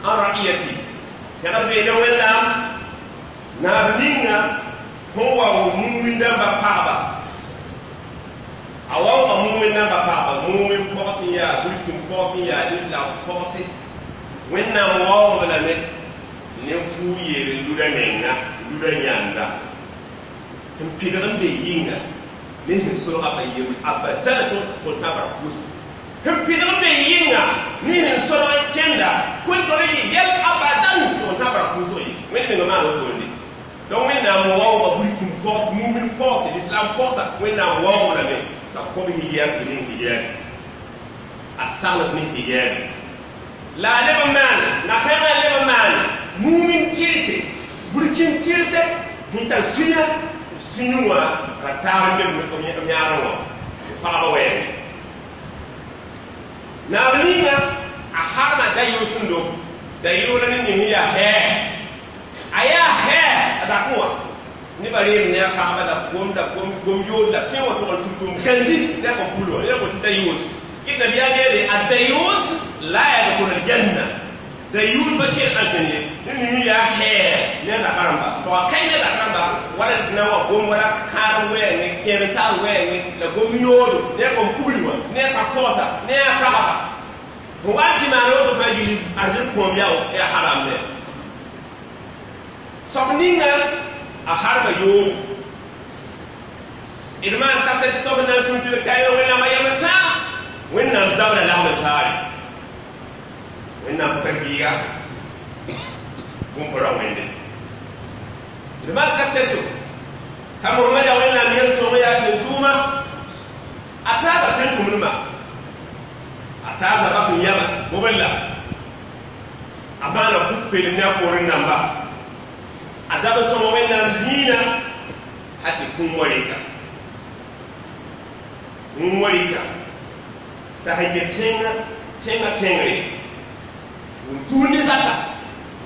An ra'iyati pẽgd beene Wẽnnaam naab ninga sẽn wao mumin dãmba pagba a waooga mumin dãmba pagba mumin pɔgs n yaa burkin pɔgs n yaa islam pɔgse Wẽnnaam waoog lame ne fuu yeel n luda menga luda yãnda n pidg n be yĩnga ne sẽn solga pa yembre abadan tɩ tãbra pʋʋs n pidg n be yĩnga ne sẽn solg n kẽnda kõn tol n yɩ yɛl abadan tɩ tãbra pʋʋsg ye Wẽnd menga maan wotone donc Wẽnnaam waooga burkin pɔgs mumin pɔgse l'islam pɔgsa Wẽnnaam waoog lame t'a kõb hijaab tɩ ning hijaab a sagl ne hijaab la a leb n maan na-kãengã leb n maan mumin tɩɩse burkin tɩɩse sẽn tar sũyã sũyẽ wã ra taab n be b yãadẽ wã pagba wɛɛngẽ naab ninga a harma da-yʋʋsẽndo da-yʋʋla ne ning yaa hɛɛ a yaa hɛɛ a dakẽ wã nebã reem ne a pagba la gom la gom gom yood la tẽ wã tʋg n tʋm tʋm gãndi ne a kõn pul wã ne a tɩ da-yʋʋs kɩt nabiyaa yeele a da-yʋʋs la yadkhulu aljanna da-yʋʋs pa kẽer aljana ye ne ning yaa hɛɛ ne a raka-rãmba to a kae ne raka-rãmba wala na wa gom wala kãadem wɛɛngẽ kẽer n taar wɛɛngẽ la gom yoodo ne a kõn pugl wã ne a ka koɔsa ne a pagba n wa tɩ maan woto fãa yɩl arzẽn kõom yaa haram ne soab ninga a harma yoogo d maan kaset soab n na n tũm tɩ b kaɩ Wẽnnaamã yam n tãag Wẽnnaam zabra lagm n taare Wẽnnaam pʋka biiga bũmb ra wẽnde d maan kaseto t'a Mohamad yaa Wẽnnaam yel-sõng yaa tẽn-tʋʋma a taaba tẽn-tʋmdmã a taasa bas n yãma gobella a maana kut pelem ne a poorẽ namba a zab n sõma Wẽnnaam zĩinã hal tɩ kũum wa rɩka kũum wa rɩka t'a sẽn ket tẽngã tẽngã tẽngre n tuur ne zaka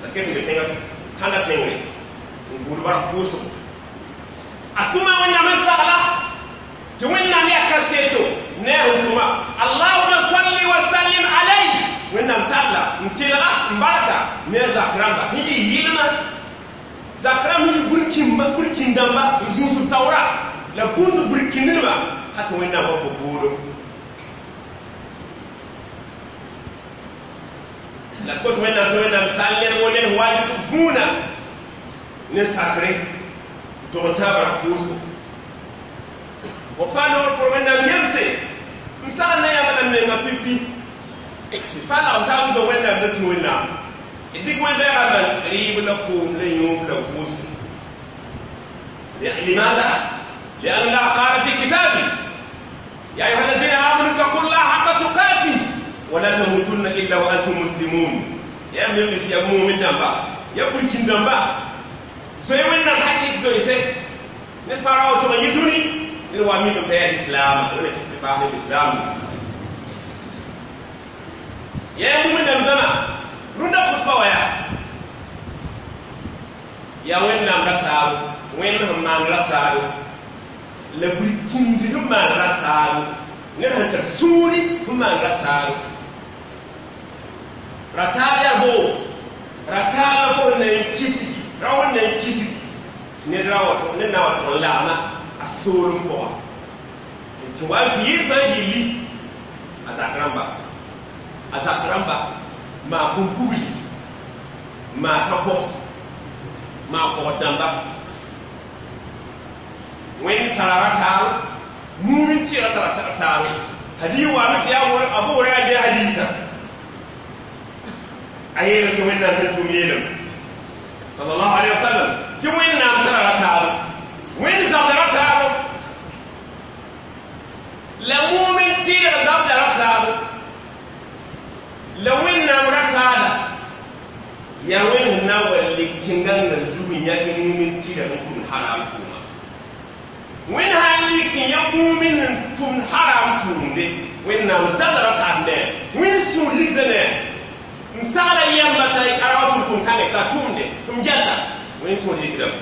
la ket n be tẽngã kãngã tẽngre n gʋʋd bark pʋʋsgo a tʋma Wẽnnaam n sagla tɩ Wẽnnaam yaa kaseto ne a sẽn tʋma Allahuma salli wa sallim alayhi Wẽnnaam salla n tɩlga n barka ne a zak rãmba sẽn yɩ yɩlmã zak rãmb sẽn yɩ burkĩmba burkĩn-dãmba n gũusd taoora la gũusd burkĩndnema hal tɩ Wẽnnaam wa kõ boodo la kot Wẽnnaam tɩ Wẽnnaam sall ned wo ned wajib vũuna ne sakre tɩ b tãab ra pʋʋsgo fo fãa noor pʋr Wẽnnaam yemse m sagl na yãmb la menga pipi tɩ fa lagm taab n zo Wẽnnaam la tũ Wẽnnaam d dɩk wẽn-zɛɛgã man rɩɩb la koom la yõob la vʋʋs لماذا؟ لأن الله قال في كتابه يا أيها الذين آمنوا اتقوا الله حق تقاته ولا تموتن إلا وأنتم مسلمون يا من يا مؤمن دمبا يا بولكين دمبا زوي وين حكي زوي سي نفراو تو يدوني نوا مي تو الإسلام ولا تتبع الإسلام يا مؤمن دم rũndã khutba wã yaa yaa Wẽnnaam ra taabo Wẽnd sẽn maan ra taabo la burkĩndi sẽn maan ra taabo ned sẽn tar sũuri sẽn maan ra taabo ra taab yaa boo ra taabã fo na n kisgi ra wẽn na n kisgi ned ra wa ned na wa tʋg n lagma a soolem pʋga tɩ wa n tɩ yɩ fãa yilli a zak rãmba a zak rãmba maa kũm-pugli maa ka pɔgs maa pɔg dãmba Wẽnd tara ra taabo mumin tɩɩga tara taabo hadiis waame tɩ yaa Abu Hurayra bɩ hadiisa a yeelame tɩ Wẽnnaam sẽn tʋm yeelame sallallahu alaihi wasallam tɩ Wẽnnaam tara ra taabo Wẽnd zabda ra taabo la mumin tɩɩga zabda ra taabo la Wẽnnaam ra taada yaa Wẽnd na wa lik tẽngãngã zug n yãk mumin tɩɩga sẽn tʋmd haram tʋʋma Wẽnd sã n lik n yã mumin n tʋmd haram tʋʋmde Wẽnnaam zabda ra taad ne Wẽnd sũur ligda ne n sagla yãmba t'a a ra wa tʋm tʋm kãngẽ t'a tʋmde m gɛta Wẽnd sũur ligdame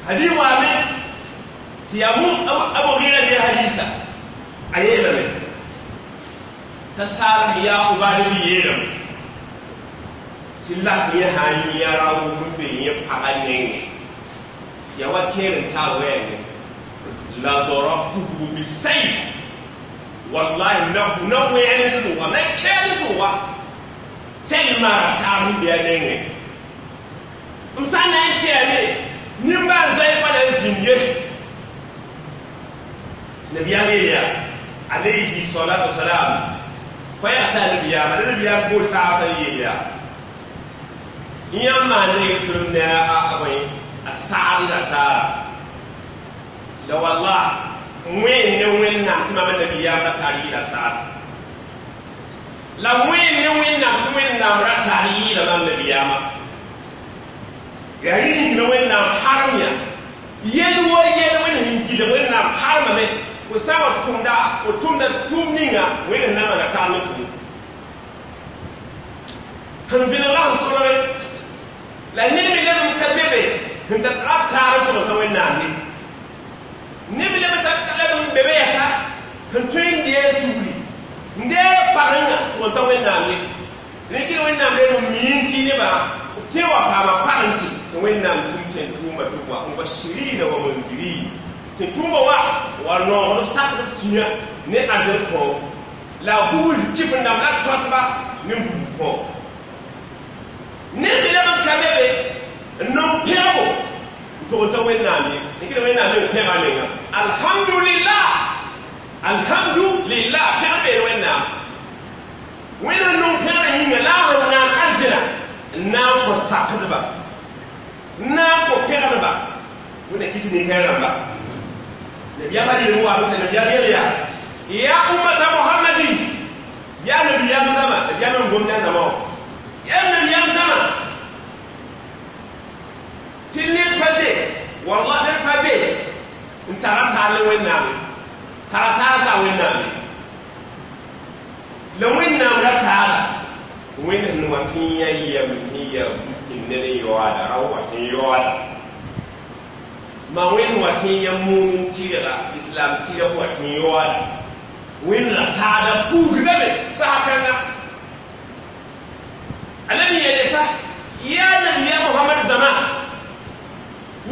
hadis waame tɩ yaa Abu Gira bɩ hadisa a yeelame T'a saal ya ubad bi yeelame tɩ lak yẽ sã n yã ra-wʋm n be yẽ pagã nengẽ tɩ ya wa kẽer n tar wɛɛngẽ la darabtuhu bisayf wallahi na wẽen n sʋga na kɛɛd n sʋga tẽn maara taab n be a nengẽ m sã n na n kɛɛme nimbãan-zoɛɛ pa na n zĩnd ye nabiyaam yeelya alayhi salatu wasalam koɛɛg t'a nabiyaama la nabiyaam bool saabã n yeel yaa yãmb maan reg sẽm ne a bõe a sagd la taara la wallah wẽen ne Wẽnnaam tɩ mam nabiyaam ra tar yɩɩla sagd la wẽen ne Wẽnnaam tɩ Wẽnnaam ra tar yɩɩla mam nabiyaamã yaa rĩng ne Wẽnnaam harem yã yel wo yel wẽnd sẽn gilg Wẽnnaam harmame fo sã n wa tʋmda fo tʋmda tʋʋm ninga Wẽnd na maana taab ne fo sẽn vẽneg la sẽn sõlge la ned me leb n ka be be sẽn tar ra taar n tʋg n tã Wẽnnaam ye ned me leb n leb n be be yɛsa sẽn tõe n dee sugri n deeg parenga tʋg n tã Wẽnnaam ye rẽkɩ Wẽnnaam reel n miin tɩ nebã b tẽ wa paama parensi tɩ Wẽnnaam tʋm tẽn tʋʋma tɩ wa mubashirina wa mundirin tɩ tʋʋma wa noogd b sakd b sũyã ne azẽn kõ la bugl kɩf n dãmb la tõtba ne bugl kõ ned me leb n ka be be n nong pẽgbo n tʋg n tã Wẽnnaam ye rẽkɩ Wẽnnaam me n pẽga menga alhamdulillah alhamdulillah pẽgr beel Wẽnnaam Wẽnd n nong pẽgrã yĩnga la a sẽn naag arzẽna n na n kõ sakdba n na n kõ pẽgdba Wẽnna kɩt nin-kãe rãmba nabiyaamã rɩɩm wa tɩ nabiyaam yel yaa ya ummata Muhammadin ya nabiyaam zãma nabiyaam n gomd a zãma wã ya nabiyaam zãma tɩ ned pa be wallah ned pa be n tara taal ne Wẽnnaam tara taal t'a Wẽnnaam la Wẽnnaam ra taala Wẽnd sẽn wa tɩ n yã yɛm sẽn ya bukin ned n yaoada ra wa tɩ n yaoada ma Wẽnd wa tɩ n yã mumin tɩrga islam tɩrg wa tɩ n yaoada Wẽnd ra taada puugdame saha kãnga a la mi yeele t'a yaa nabiya Mohamad zãma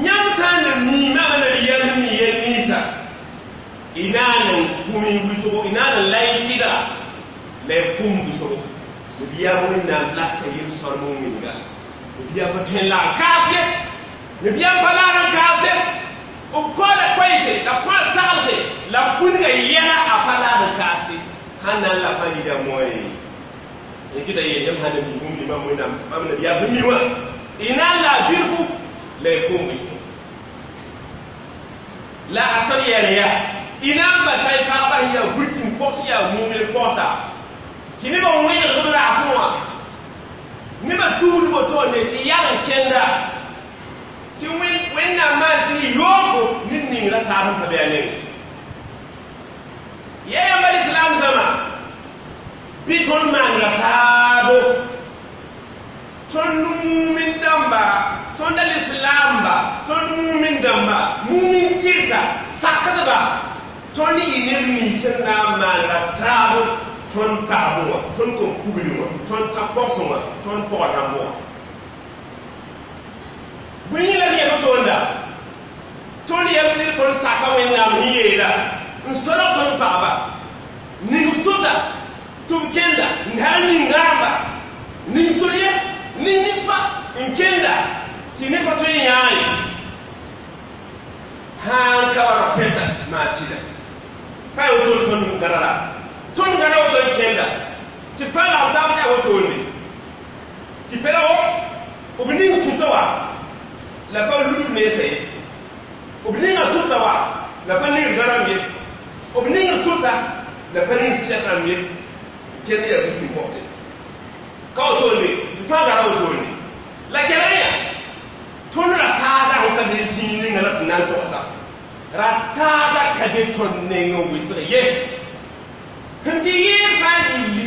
yãmb sã n na mi mama nabiyaam mi yel ninsã y naan n kũm y wʋsgo y naan n la y tɩdga la y kũm wʋsgo nabiyaam Wẽnnaam laka yel-sõr muminga nabiyaam pa tõe n lag n kaas ye nabiyaam pa laag n kaas ye b koala koɛɛse la kõ a saglse la kũnga yɛla a pa laag n kaas ye sãn na n la pa rɩda moe kɩta yeel yãmb sã na mi bũmb mam Wẽnnaam mam nabiyaam sẽn mi wã y na n la a bilfu la y kũm wʋsgo la a sẽn yɛl yaa y na n basa y pagba sẽn yaa burkin pɔgs yaa mumil pɔgsa tɩ nebã wẽneg b raasẽ wã nebã tuud woto ne tɩ yal n kẽnda tɩ Wẽnnaam maan tɩ y yooko ned ning ra taab n pa be a nengẽ ya yãmba lislaam zãma bɩ tõnd maan ra taabo tõnd mumin dãmba tõnd lislaamba tõnd mumin dãmba mumin tɩrsa sakdba tõnd y neb nins n na n maan ra taabo tõnd pagb wã tõnd kom kugli wã tõnd tã-pɔgsẽ wã tõnd pɔgã rãmb wã bõe yĩnga la yẽl toonda tõnd yɛm tɩ tõnd saka Wẽnnaam sẽn yeela n solg tõnd pagba ning sʋta tɩ b kẽnda n hal ning rãmba ning sor-ye ning nisba n kẽnda tɩ ne pa tõe n yãa ye sãn ka wa ra pɛta maa sɩda pa ya woto tõnd gãda la tõnd gãda woto n kẽnda tɩ fa la b taab yaa wotone tɩ pɛla wo b ning sʋta wa la pa lud mense ye b ninga sʋta wa la pa ning gãrãmb ye b ning sʋta la pa ning sɛk rãmb ye kẽnd yaa buki pɔgse ka wotone fãa gara wotone la gɛlg ya tõnd ra taada sẽn ka be zĩig ninga la tɩ na n togsa ra taada ka be tõnd neng n wɩsg ye sẽn tɩ yɩɩr fãa gilli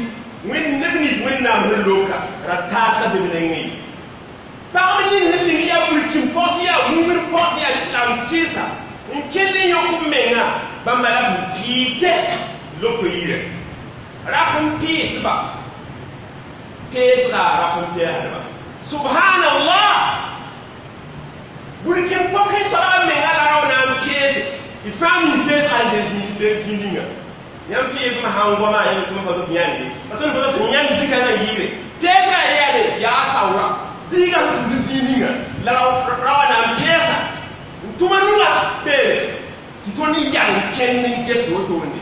wẽnd neb nins Wẽnnaam sẽn loka ra taad ka be b nengẽ ye pagb ning sẽn ning yaa burkin pɔgs yaa mumr pɔgs yaa islam tɩɩsa n kell n yõk b menga bãmba la b piite loto yirã rap n piig. Peesga rap n peesdba. Subhanallah, burkin pɔke soaba menga la rao na n peese d fãa mi peesga n le zĩ ninga. Yãmb tɩ yetɩ sã n goama yãmb tɩ pa tɩ yãnde pa tõnd pa tɩ yãnd zika na yɩɩre peesga yaade yaa saoora biiga sẽn tũud zĩig ninga la raoã na n peesa n tʋma nunga peere tɩ tõnd yang kẽnd n ges wotone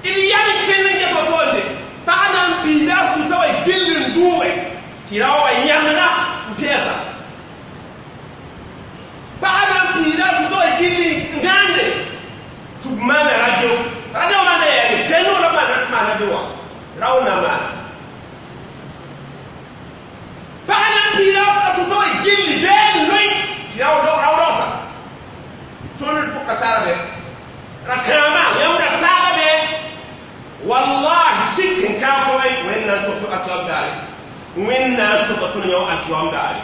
d yang kẽnd n ges wotone pag na n piida a sũta wa gill n dʋʋge tɩ rao wa yãnega n peesa pag na n piida a sũta wa gill n gãande tɩ b maana radio radio maana yaale tẽng la maana radio wã rao na maana pag na n piida a sũta wa gilli bee n loe tɩ rao raoosa tõnd pʋka tara be ra kãama yãmb ra taaga be wallahi sik n kãag fo Wẽnnaam sʋk a tɩ daare Wẽnnaam sʋka tõnd yõ a tɩ daare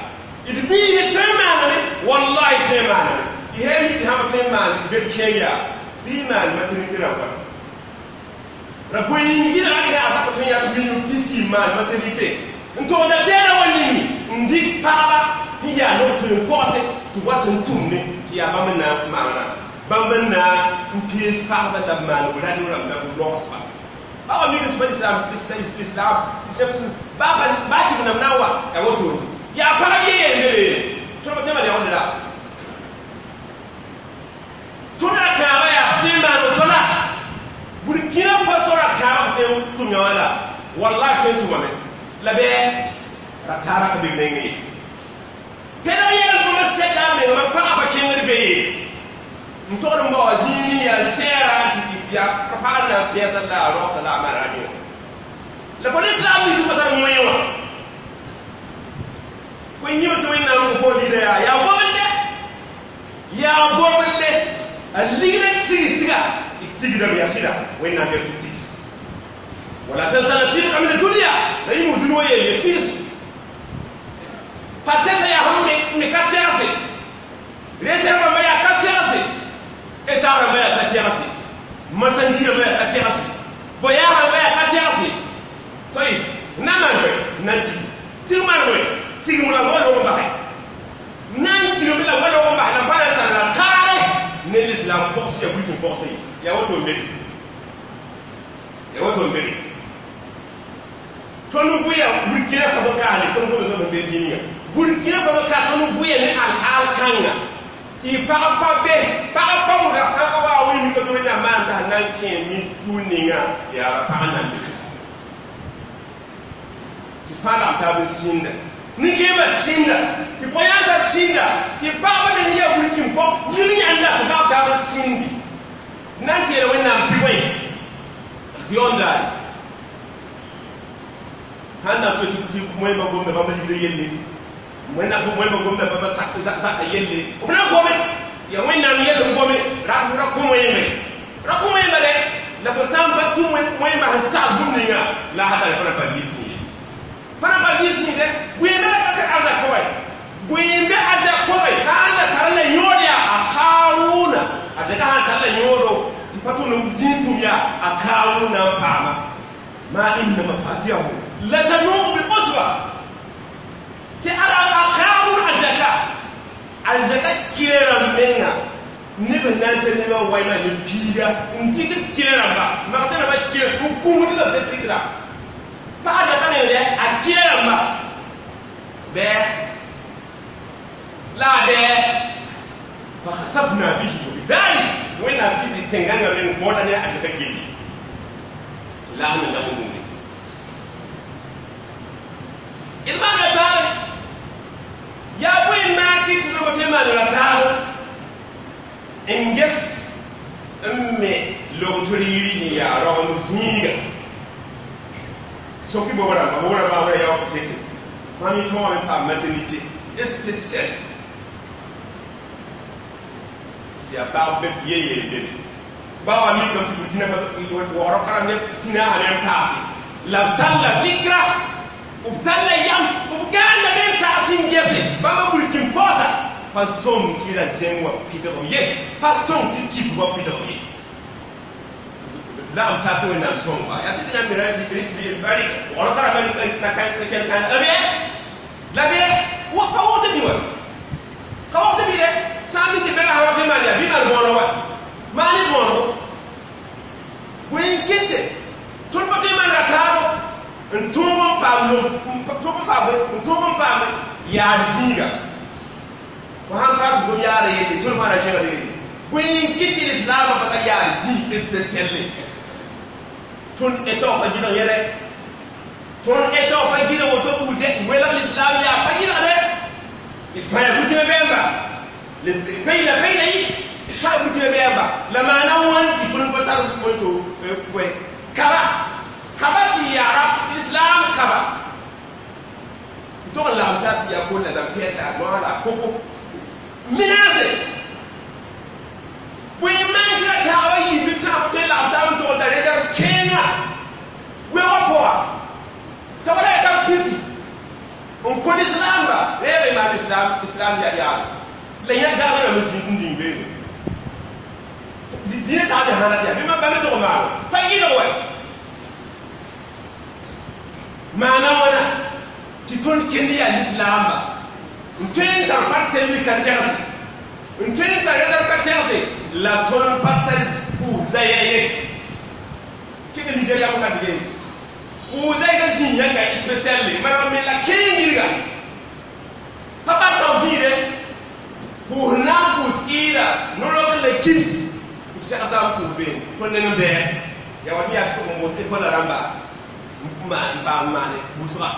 d biig tõe n maaname wallahi tõe n maaname y sẽn mi tɩ sãm tõe n maan be kẽer yaa bɩ maan maternité rãmba ra bõe-yĩngir a yaa a tõe n yaa million pisi maan maternité n togda tɛɛra wa ningi n dɩk pagba sẽn yaa noog tõe n kogse tɩ wat n tʋmne tɩ yaa bãmb n na n maana bãmb n na n pees pagba la b maan radio rãmb la b logsba ba mi tɩ islam islam ba ba tɩ b nam na n wa yaa wotone yaa pagb ye yelle tõnd tẽma yaoondra tõnd ra kãabã yaa tẽ n maan woto la Burkina Faso ra kãabã tẽ n tʋm yã wã la wallahi tõe n tʋmame la bɩ ra taara ka be nengẽ ye pẽdg yɛl tõnd sɛka a mengmã pagã pa kẽngd be ye n togd n bao zĩig yaa sɛɛra tɩ yaa pag na n pɛɛsa la a raosa la a maan radio la fo lislaam ning pa tar wẽ wã fo yĩm tɩ Wẽnnaam n fo lida yaa yaa gomende yaa gomende a ligd n tigsga d tigdame yaa sɩda Wẽnnaam yaa tɩ tigs wala tansa nasibaka min adunia la yĩm dũni wa yelle tigs pa tɛsa yaa sẽn me ka segse rete rãmba yaa ka segse eta rãmba yaa ka tegse masandi rãmba yaa ka tegse voyage rãmba yaa ka tegse toy na maan koe nan tig tig maan koe tigem la wa log n basɛ nan tigem la wa log n bas la pa na tar la kaare ne l'islam pɔgs ya buitin pɔgse ye yaa woto n bere yaa woto n bere tõnd bʋya Burkina Faso kaane tõnd gomd sõm be zĩniga Burkina Faso ka tõnd bʋya ne alhaal kãnga tɩ pag pa be pag paoora pãga wa wẽ mika tɩ Wẽnnaam maan t'a na n kẽ min pʋʋr ninga yaa pag nan be tɩ fãa lagm taab n sĩnda nin-kẽemã sĩnda tɩ pɔ-yãnsã sĩnda tɩ pagba me yaa burkin pɔ yĩng yãnda tɩ pag taab n sĩndi na n tɩ yeela Wẽnnaam pɩ wẽ yõndaare sãn na n tɩ moẽmba gomda bãmb ligdã yelle moẽmba gomda bãmba zaka yelle b na n gome yaa Wẽnnaam yell n gome ra kõ wẽeme ra kõ wẽemba dɛ la fo sã n pa tũ wẽemba sẽn sagl bũmb ninga la a tare fãna pa lɩs ye fãna pa lɩs yẽ bũembe la ka arzak pʋgẽ bũembe arzak pʋgẽ sã n la tar la yõod yaa a Kaarʋʋna a dɛka sã n tar la yõodo tɩ pa tʋl n dĩig tʋm yaa a Kaarʋʋna n paama ma inna mafatihahu latanuu bil usba tɩ ala a Kaarʋʋn a zaka kɩrã menga neb n na n tɩ nebã waima ne piiga n dɩk d kɩrã rãmba magsã rãmbã kɩrã n kũmd la sẽn tɩkra pag zaka nengdɛ a kɩrã rãmba bɛɛ la a bɛɛ fakhasafna bihi wa bidari Wẽnnaam tɩ tɩ tẽngãngã meng bõoda ne a zaka gilli tɩ laag me dag n wʋmde d maana taare yaa bõe n maag tɩ tɩ rogo tɩ maan ra taar n ges n me logtr yiri n yaa rogem zĩiga soki bob rãmba bob rãmba wã yaoog seke mam yẽ tõogame paam maternité spécial tɩ yaa pag be ye yeel bebe ba wa mikame tɩ Burkina waoorã kara ne tĩna sã ne n paase la b talla fikra b talla yam b gãanda me n tags n gese bãmba burkin paoosa pa sõm tɩ ra zẽng wa pidg ye pa sõm tɩ kit wa pidg ye. La m tar tɩ Wẽnnaam sõngba yaa tɩ yãmb me ra rka la ken kãn la bɩ la bɩ pa wogd bɩ wa ka wogd bɩ dɛ sã n mi tɩ bɛla wa tɩ maan yaa bɩ maan bõono wa maane bõonego bõe n kete tõnd pa tõe n maana taabo n tõog n paam tõog n paam n tõog n paam yaad zĩiga fo sãn pa tɩ fo yaada yelle tõnd fãa na kẽngd yelle bõe n kɩt lislaamã pa tar yaad zĩig spéciale tõnd etao pa gɩdg yɛlɛ tõnd etao pa gɩdg woto buud welg lislaam yaa pa gɩdgde d fãa yaa butima bɛɛmba payla payla yɩ fãa butima bɛɛmba la maana wãn tɩ tõnd pa tar woto kaba kaba tɩ yaara islam kaba tog n lagm tar tɩ yaa kolla la pɛɛla noa la koko menace bõe maan tɩ la taaba yiib tãab tõe n lagm taab n tog n tara reda kẽenga wẽgã pʋga t'a wala yaa tar pisi n kõ lislaamba reebe maan islam islam yaa yaado la yã gãag rãmb zĩig n dĩng beene dĩnã taab hãna tɩ yaa bɩ ba me tog maano pa yɩlg wɛ maana wãna tɩ tõnd kend yaa lislaamba n tõe n tar pa selmi ka tɛgse n tõe n tar rɛdr ka tɛgse la tõnd pa tar pʋʋsa ya ye kɩg Nigeria ka dige pʋʋsa ka zĩ yãnga spécial mara me la kẽeng yirga pa pa tao zĩide pʋʋs na n pʋʋs ɩɩda no-rok la kibs b segsa n pʋʋs beene tõnd neng n bɛɛ yaa wa tɩ yaa tɩ n boos école rãmba n paam maane pʋʋsga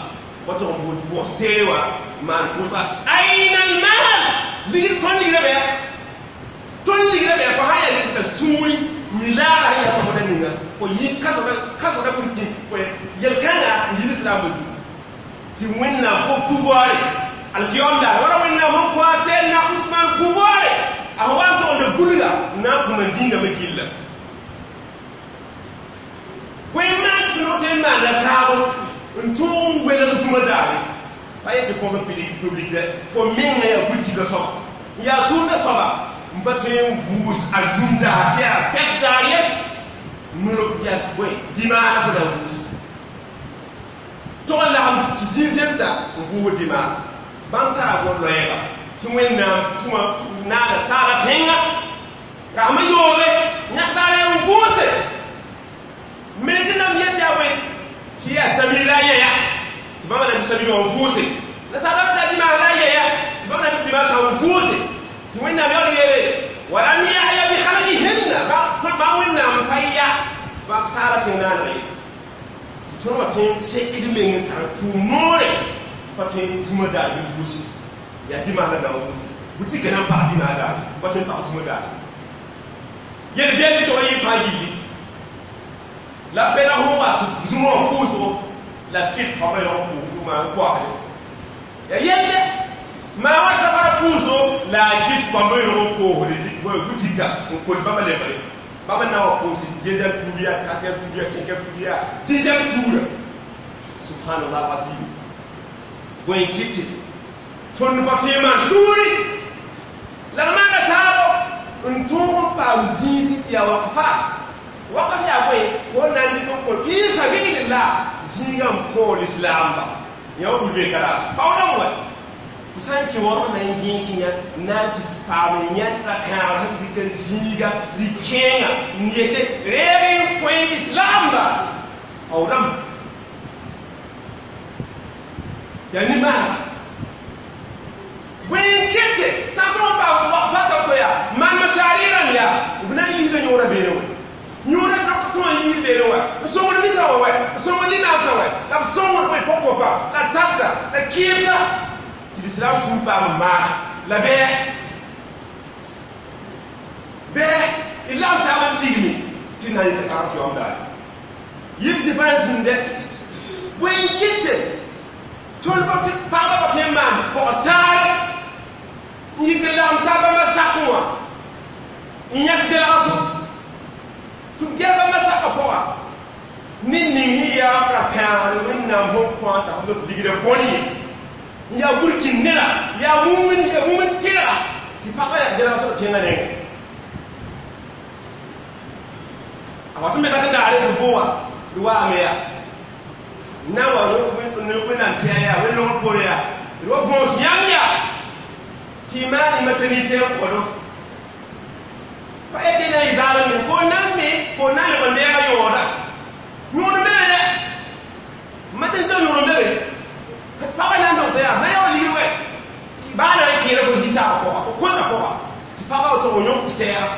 wa tɩg n boos bʋgs teere wã maan pʋʋsga aina almal ligd tõnd ligra bɛɛ tõnd ligra bɛɛ fo sã yaa t'a sũuri mi laaga sẽn yaa sõmda ninga fo yɩ kasgda kurki yel-kãnga n yi lislaambã zugu tɩ Wẽnnaam fo pouvoire alkiyom daar wala Wẽnnaam sẽn kõ a Sɛdna Usman pouvoire a sẽn wa n togd gulga n na n kũma dĩngame gilla bõe n maan tɩ tõnd n maanda taabo n tõog n welg zũma daare pa yetɩ fo public dɛ fo menga yaa butigã soaba n yaa tʋʋmdã soaba n pa tõe n vʋʋs a zũm daar tɩ yaa pɛk daar ye nolok yaa bõe dimaas fo na n vʋʋs tog n lagem tɩ zĩig zemsa n vʋʋg dimaas bãmb tara bõn-loɛɛga tɩ Wẽnnaam tũma naaga saaga tẽnga rasmã yooge yãksaara n vʋʋse me tɩ nam yet yaa bõe tɩ yaa samir la a yɛya tɩ bãmba na samir wã n vʋʋse la saadame t'a dimaas la a yɛya tɩ bãmb na dimaas n vʋʋse tɩ Wẽnnaam yaool yeele walam yahya bi khalqihinna ba Wẽnnaam pa ya bãmb saala tẽng naaneg ye tɩ tõnd wa tõe n sekd meng n tar pʋʋm-noore pa tõe n zũma daar bɩ vʋʋse yaa dimaas la dãmb vʋʋse bʋ-tika na n pag dimaas daare pa tõe n pag zũma daare yel bɛl tɩ tog yɩ fãa yilli la bɛla fõ wa tɩ zũma wã pʋʋsgo la kɩt pama yõ pʋʋs maan koagde yaa yelle maa wa safara pʋʋsgo la a kɩt pamba yõ koosde butika n kol bãmba lebgre bãmba na wa pʋʋs deuxième tour ya quatrième tour ya cinquième tour ya dixième tour subhanallah azim bõe n kɩtɩ tõnd pa tõe maan sũuri la d maana taabo n tõog n paam zĩisi tɩ yaa wakfat wakf yaa bõe fo na n dɩk n kõ fɩ sabilillah zĩigã n kõ lislaamba yã wa wilbe ka la paoodame wa fo sã n kẽ waoog na n gẽes yã n na n tɩ paam n yãnd ra kãabr sẽn dɩk n zĩiga zĩ-kẽenga n yete reeg n kõ lislaamba paoodame yaa nimaana bõe n kete sã n tõg n paam wakfata to yaa maan masaari rãmb yaa b na n yiisda yõora beene wã yõora rok tõa n yiis beene wã n sõngd nisã wã wɛ n sõngd limaamsã wɛ la b sõngd bõe pʋg-kopa la tagsa la kɩɩmsa tɩ lislaam sũur paam n maag la bɛɛ bɛɛ d lagm taab n tigme tɩ na n yɩs kãag tɩ daare yɩb zĩ pa n zĩndɛ bõe n kɩte tõnd pa tɩ pagba pa tõe n maan pɔg-taare n yik n lagm taab bãmba sakẽ wã n yãk delgso tɩ b gɛl bãmba sakã pʋga ne ning sẽn yaa ra-pãagr Wẽnnaam sẽn kõ t'a f ligra bõn ye n yaa burkin neda yaa mumn tɩrga tɩ pagba yaa gelg sẽn tẽngã nengẽ A tɩ me ka tɩ daare tɩ boa tɩ waame yaa na wa wẽnnaam sɛɛ yaa wẽn-logr poore yaa d wa bõos yãmb yaa tɩ y maan y maternité n kõdo pa ete na y zaalem ne fo nan me fo na n leb n deega yõoda yõod n be be dɛ maternité yõod n be be pagã na n dogsa yaa ma yaa wa ligd wɛ tɩ baa na n kẽera fo zi-saagã pʋga fo kõta pʋga tɩ pagã wa tɩ yõk sɛɛga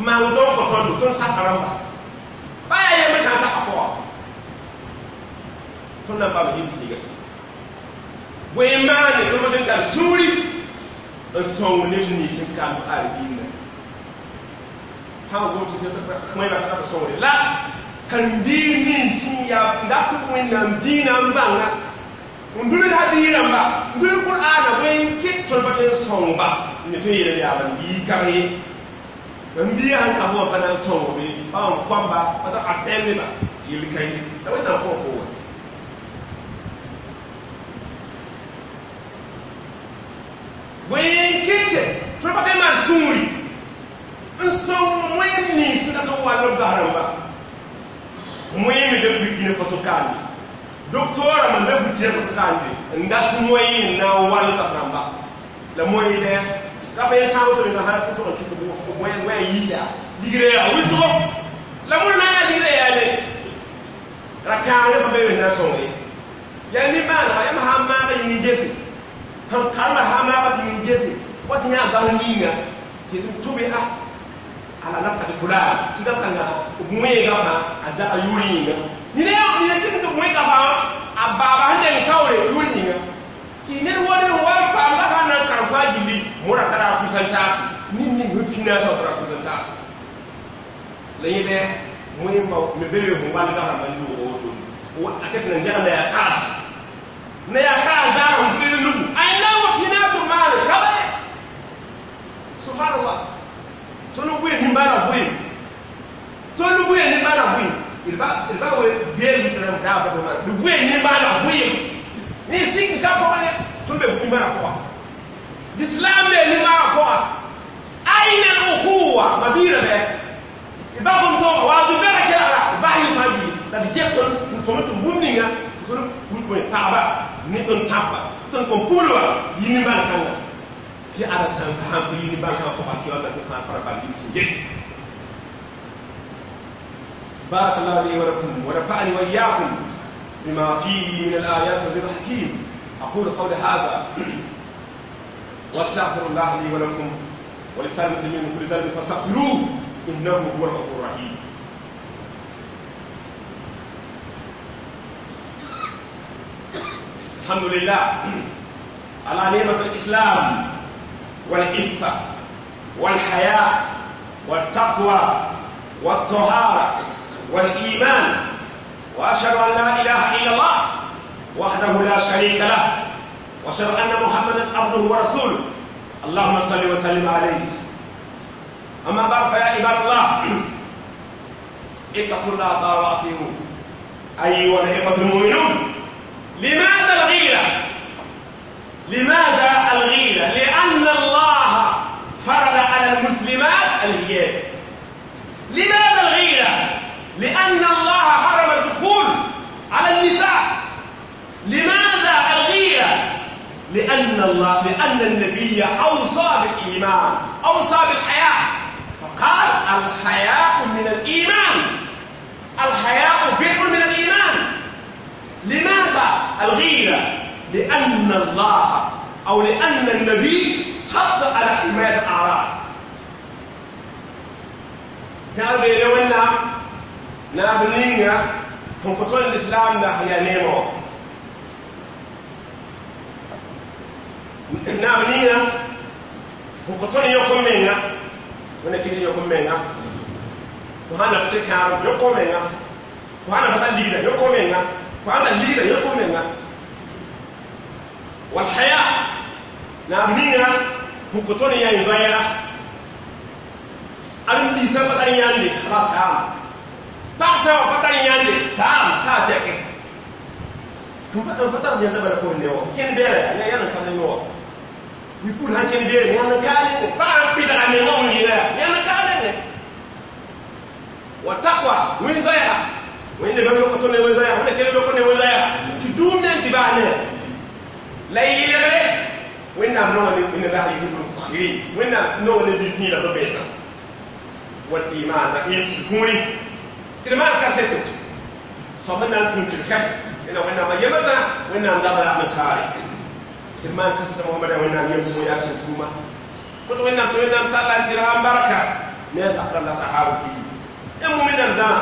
maan woto n kõ tõndo tõnd saka rãmba pa yaa yembre sã n saka pʋga tõnd na n paam yɩl sɩga bõe n maane tõnd pa n tar sũuri n sõng neb nins n kamb arbiinã sã n gom tɩ wẽnna ka b sõngre la karen-biig nins sẽn yaa dat Wẽnnaam dĩinã n bãnga n dʋl hadiis rãmba n dʋl Qur'aana bõe n kɩt tõnd pa tõe n sõngba ne tõe n yeelame yaa mam-biig ka ye mam-biigã sẽn ka wã pa na n sõngbe pa n koamba pa t'a a tẽndeba yel ka ye la Wẽnnaam kõ fo wa bõe n kɩt tõnd pa tõe n maan sũuri n sõng wẽnd nins sẽn dat n wall b bas rãmba moyen de Burkina Faso kande docteur man de Burkina Faso kande ndat moyen na wal ka ramba la moyen de ka be ta woto na har ko to ki ko moyen moyen yisa ligre ya wiso la mon na ya ligre ya le rakane ba be na so ne ya ni ba na ya ma ma ga ni jesi han karma ha ma ga ni jesi wati nya ga ni nga ti tube ah ala nafta kula ti ga kanga moyen ga fa aza ayuri nga ni ne ni ne ti moyen ga fa ababa hande kawre yuri nga ti ne woni wa fa ma ha na kan fa jili mora kara kusan tasi ni ni hufina sa kara kusan tasi la yebe moyen ba me bele ho wal ga ma yu o do o aket na ndia na ya kas na ya ka za hu lu ay na wa fina to mal kabe subhanallah tolu bouye ni mbala bouye tolu bouye ni mbala bouye il va bien lui train da ba ma lu bouye ni mbala bouye ni sik ka ko ne tolu be mbala ko l'islam ni mbala ko aina al-ukhuwa mabira be il va comme ça wa du bela kala ba yi ma bi la di jeton fo to bumninga fo ko pa ba ni ton tapa ton ko pulwa yi ni mbala kanga ti ala san faham ko yini barka ko ba ki wala ko fa fara ba bi si بارك الله لي ولكم ونفعني وإياكم بما فيه من الآيات والذكر الحكيم. أقول قولي هذا واستغفر الله لي ولكم ولسائر المسلمين من كل ذنب فاستغفروه إنه هو الغفور الرحيم. الحمد لله على نعمة الإسلام والعفة والحياء والتقوى والطهارة والإيمان، وأشهد أن لا إله إلا الله وحده لا شريك له، وأشهد أن محمدا عبده ورسوله، اللهم صل وسلم عليه. أما بعد، فيا عباد الله اتقوا الله تعالى وأطيعوه. أيها الإخوة المؤمنون، لماذا الغيرة؟ لماذا الغيرة؟ لأن الله فرض على المسلمات الحجاب. لماذا الغيرة؟ لأن الله حرم الدخول على النساء. لماذا الغيرة؟ لأن النبي أوصى بالإيمان، أوصى بالحياء، فقال الحياء من الإيمان، الحياء بر من الإيمان. لماذا الغيرة؟ لأن الله أو لأن النبي حط على حماية الأعراض. كان بيلونا نابنينا هم قتل الإسلام نحيا نيمو نابنينا هم قتل يوم منا ونكيل يوم منا وهذا بتكار يوم منا وهذا بتلينا يوم منا وهذا لينا يوم منا والحياء نابنينا هم قتل يا يزايا أنتي سبتني ياندي خلاص سام تاسع فتني ياندي سام تاجك كم فتن يزبر كونه كن بيرة يا يا نكمل نوع يقول هن كن بيرة يا نكالين فاهم بيدا عن نوع يلا يا نكالين Wa taqwa wẽn zoɛɛga wẽnde bãmb lok tõnd ne wẽn zoɛɛga wẽnda kell lok ne wẽn zoɛɛga tɩ dũum ne n tɩ baa ne la y yɩlgre wẽnnaam nonga ne inna allaha yuhibu lmutahirin wẽnnaam nonga ne biis yĩla no-beesã wal iman la ɩm sɩkũuri d maan kaseto soab n na n tũu tɩ d kɛp ẽna wẽnnaam a yemdã wẽnnaam dabra m taare d maan kaseto mohamada wẽnnaam yem sõ yaa sẽn tʋʋma kot wẽnnaam tɩ wẽnnaam salla n tɩ ra n barka ne a zakra la sahaba fii ya mu'minan zama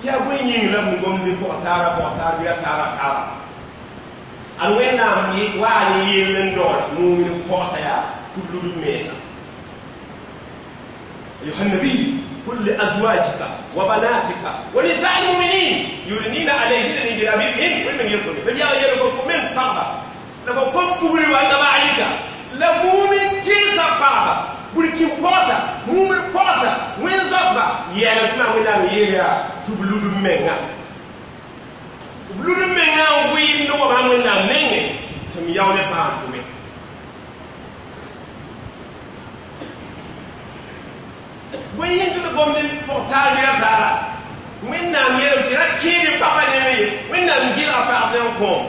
ya bõe yĩng la b gom ne pʋg taara pʋg taar bɩ a taara taara ad wẽnnaam waa ne yell n daoor mumin pɔgsa yaa tɩ b lud mensa. أيها النبي قل لأزواجك وبناتك ونساء المؤمنين يدنين عليهن من جلابيبهن ومن يرسل بل يا يلكم من قربة لكم كم كبري وأنت بعيك لمؤمن جنس قربة burkin pɔgsa mumin pɔgsa wẽn zoabba yɛlem tɩ maa wẽnnaam yeelya tɩ b lud b menga b lud b menga n vɩɩmd n wa wẽnnaam nengẽ tɩ m yao ne fãa n tʋme bõe yẽ tɩ d gomd pʋg taar wɩra taara wẽnnaam yeelem tɩ ra kẽed pagba nengẽ ye wẽnnaam gɩlga pagb ne n kõom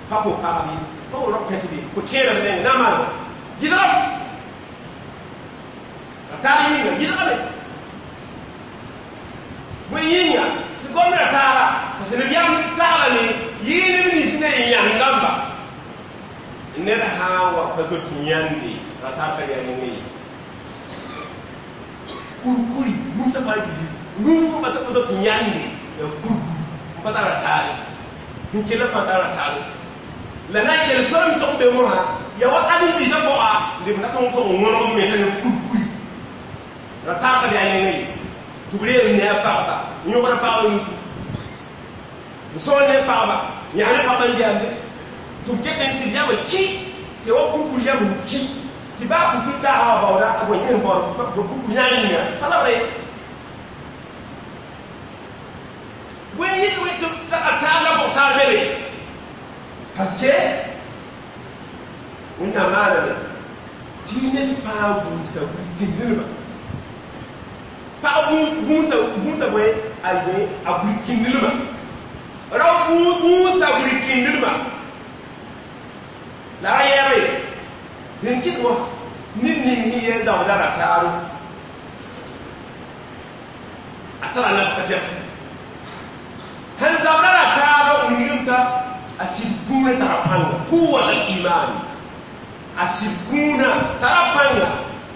pa pʋg pagb ye pa wʋ rao kẽt be fo kẽeda b nengẽ na n maan gɩlgame tar yĩnga gɩlgame bõe yĩnga tɩ gomdã taara parce que nabiyaam saglame yɩɩlb nins ne yẽ yãnd dãmba ned sã n wa pa zoet yãnde ra tar ka yaa nengẽ ye kurkuri gũmsã fãa zĩndi rũm pa pa zoet yãnde yaa kurkur n pa tara taare n kell fãa tara taare la na n yel sor n tog be mosã yaa wa ãdem-biisã pʋga n d na tʋg n tog n wõneg b mensã ne kurkuri ra taar ka yaa nengẽ ye tɩ b reel ne a pagba n yõgd a pagba nusi n sõor ne pagba n yaa ne pagba n yamde tɩ b ket n tɩ b yam n kɩ tɩ wa kurkur yam n ki tɩ baa kurkur taagã wa baooda a bõe yẽ n baood kurkur yã yĩnga pa la b re bõe yɩt wẽ tɩ saka taar la bʋg taar bebe parce que wẽnnaam maaname tɩ ned fãa buusa burkĩndilmã pag gũusa gũusa bõe a bõe a burkĩndilmã rao gũusa burkĩndilmã la a yɛɛbe sẽn kɩt wã ned ning sẽn yɛɛ zaoodã ra taaro a tara nafka tɛgse sẽn zaoodã ra taaro wilgem t'a a sɩd kũunã tara pãnga quwat al iman a sɩd kũunã tara pãnga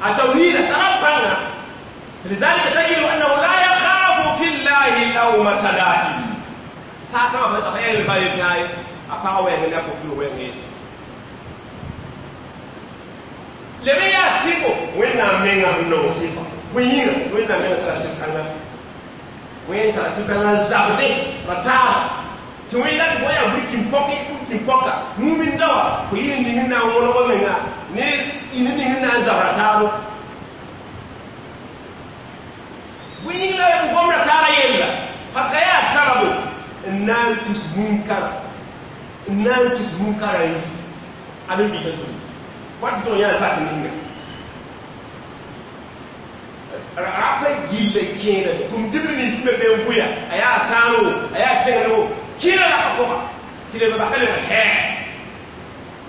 a tawhiida tara pãnga. لذلك تجد أنه لا يخاف في الله لومة لائم ساعة ما بتخيل البايتاي أفاوي من أفكر وين لم يسيبو وين أمينا من نصيبه وين وين أمينا تراسيب وين تراسيب كنا زابدي رتار توين لا تبغى يبريك بوكي بوكي بوكا مو من دوا وين نينا ولا ولا ني نينا زابرتارو bõe yĩng la b gom ra taara yella parce que yaa sababu n na n tus munkara n na n tus munkara yi ãdem-biisã zugu wat tɩ yã zak ninga rapa gilla kẽeda tʋm-dibr nins me be n bʋya a yaa sãano a yaa kẽngr wo kɩɩra la ka pʋga tɩ leb baka leb hɛɛ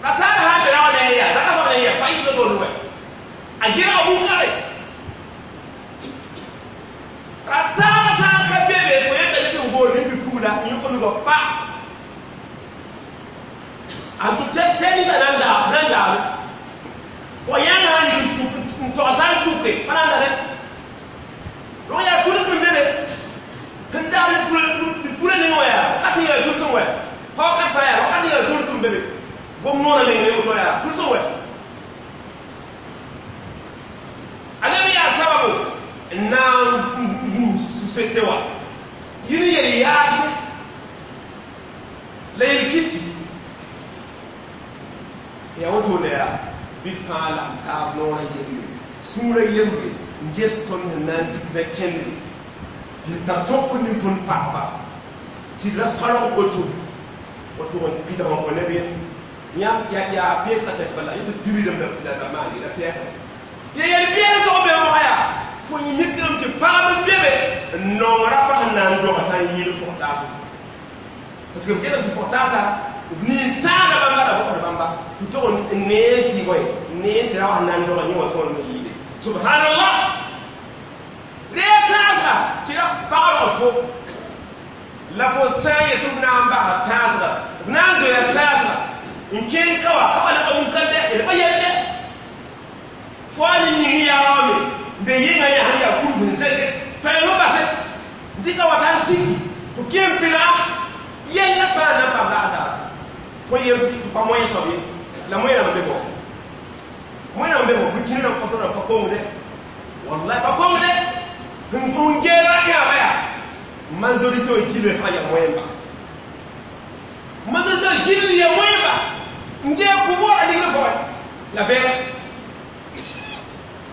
ra taar sã n be raood n yaa raka soab n yaa pa yɩ to wɛ a gɩlga munkare ra taar sã n ka bebe fo yeta tɩ n goor ne bɩ-pugla n yõk nugã pa a tɩ tɛ ninga na n daab na n daabe fo yãng sã n yik n togsã n tʋke pa na n da dɛ rog yaa tuls n bebe sẽn daab ne purã ning wã yaa wakat yaa tuls n wɛ pa wakat fãa yaa wakat yaa tuls n bebe gom noorã ning ne woto yaa tuls n wɛ a leb yaa sababu n na n gũus sete wã yɩl yel yaase la yel kɩtɩ yaa wotone yaa bɩ fãa la n taab noorã yembre sũurã yembre n ges tõnd sẽn na n dɩk na kẽndre tɩ tar tõk ne tõnd pagba tɩ d ra solg woto woto n pidg n kõ neb ye yãmb yaa peesga tɛk bala yẽ tɩ pibidem la la maande la pɛɛsga ya yel peesg be mosã yaa Fo mikame tɩ paam n bebe n nong rapa sẽn na n doga sã n yɩɩl pʋg-taase parce que b kelem tɩ pʋg-taasa b nin-tãagã bãmba la bõsd bãmba tɩ tog n nee tɩ bõe n nee tɩ ra wa sẽn na n doga yẽ wã sõor n yɩɩle subhanallah ree tãasga tɩ ra pag rogs fo la fo sã n yetɩ b na n basa tãasga b na n zoeera tãasga n kẽng ka wa ka wa la pa wʋnkande d pa yelle fo a ne ning yaa wame n be yɩnga yã sẽn yaa kurg n zeke toɛɛm n base n dɩka wa t'a n siki tɩ kẽ n pɩlga yella fãa na n paam la a daara tõe yel tɩ pa moyen soab ye la moyen rãmb be bɔ moyen rãmb be bɔ burkina rãmb faso rãmb pa kongde wallahi pa kongde n geera yãaba yaa majorité wã gilre fãa yaa moyen ba majorité wã gilr yaa moyen ba n gee pouvoir a ligr pʋgẽ la bɛɛ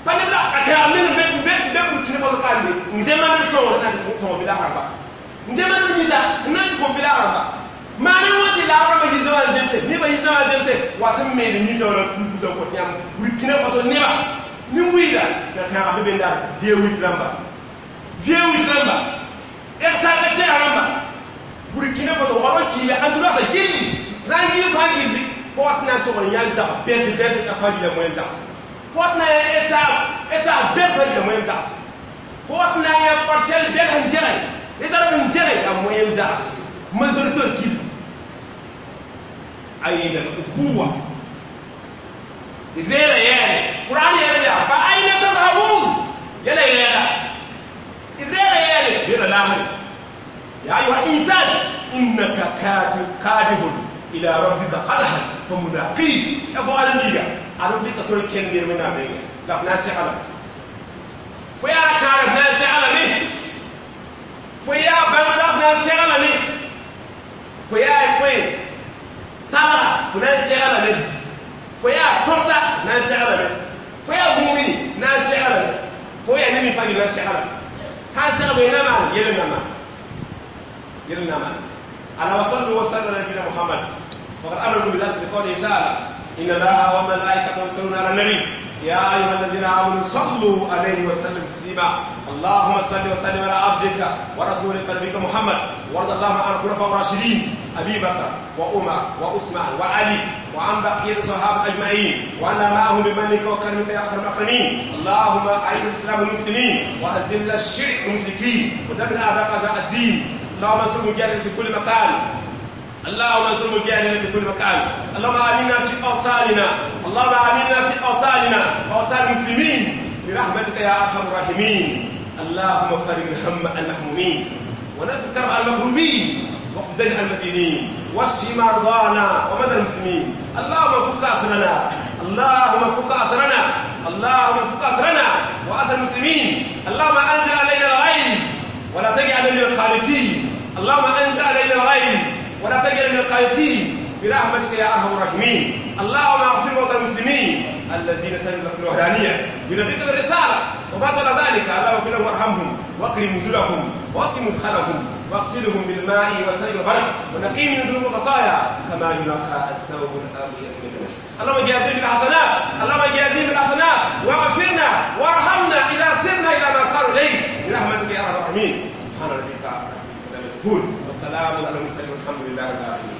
pa neb la a tɛga men be be be burkina faso kande n demande sõngr na n tõog bila rãmba n demande misa n na n kõ bila rãmba maane wã tɩ laag rãmba yizã wã zemse nebã yizã wã zemse wat n meed misa wã tuugusã kõ tɩ yãmb burkina faso neba nin-wiida la tãag be benda V8 rãmba V8 rãmba R5 tɛg rãmba burkina faso wa kiila an tɩ roasa gilli sã n gil fãa gilli fo wat na n tog n yãl zag bɛt bɛt a fãa gila moyen zags fo wat na n état état bɛt fãa gila moyen zags fo wat na n yã parcelle bɛt sẽn dɛgɛ réserve n dɛgɛ a moyen zags majorité gil أين الأخوة؟ غير يعني قرآن يعني فأين تذهبون؟ يلا يلا غير يعني غير لاهر يا أيها الإنسان إنك كاتب كاذب إلى ربك قدحا فملاقيه يا فؤاد النيجا أنا في تصور كندير من أمريكا لا ناس على فيا كارف ناس على مي فيا بنغ ناس على مي فيا كوين tara fo na n seglame fo yaa tõrta na n seglame fo yaa gũumini na n seglame fo yaa ne mi fãa na n seglame sãn segb na maan yel na maan yel na maan ala wa sallu wa sallam ala nabiyina muhammad faqad amarakum bidhalika bi qawlihi ta'ala inna allaha wa malaikatahu yusalluna ala nabi يا أيها الذين آمنوا صلوا عليه وسلموا تسليما اللهم صل وسلم على عبدك ورسولك نبيك محمد وارض اللهم عن الخلفاء الراشدين أبي بكر وعمر وعثمان وعلي وعن بقية الصحابة أجمعين وعنا معهم بمنك وكرمك يا أكرم الأكرمين اللهم أعز الإسلام والمسلمين وأذل الشرك والمشركين ودمر أعداء أعداء الدين اللهم انصر المجاهدين في كل مكان اللهم انصر المجاهدين في كل مكان اللهم آمنا في أوطاننا اللهم آمنا في أوطاننا وأوطان المسلمين برحمتك يا أرحم الراحمين اللهم فرج الهم المهمومين ونفس كرب المكروبين واقض المدينين واشف مرضانا ومرضى المسلمين اللهم فك أسرنا اللهم فك أسرنا اللهم فك أسرنا وأسر المسلمين اللهم أنزل علينا الغيث ولا تجعل من القانتين اللهم أنزل علينا الغيث ولا تجعل من القانتين برحمتك يا أرحم الراحمين اللهم اغفر موتى المسلمين الذين شهدوا لك بالوحدانية بنبيك بالرسالة وما طال ذلك اللهم اغفر لهم وارحمهم واكرم نزلهم واسم مدخلهم واغسلهم بالماء والسيل والبرد ونقيهم من ذنوب الخطايا كما ينقى الثوب الابيض من الدنس اللهم جازهم بالحسنات اللهم جازهم بالحسنات واغفرنا وارحمنا اذا سرنا الى ما صاروا اليه برحمتك يا ارحم الراحمين سبحان ربك رب العزه عما يصفون والسلام على المرسلين والحمد لله رب العالمين.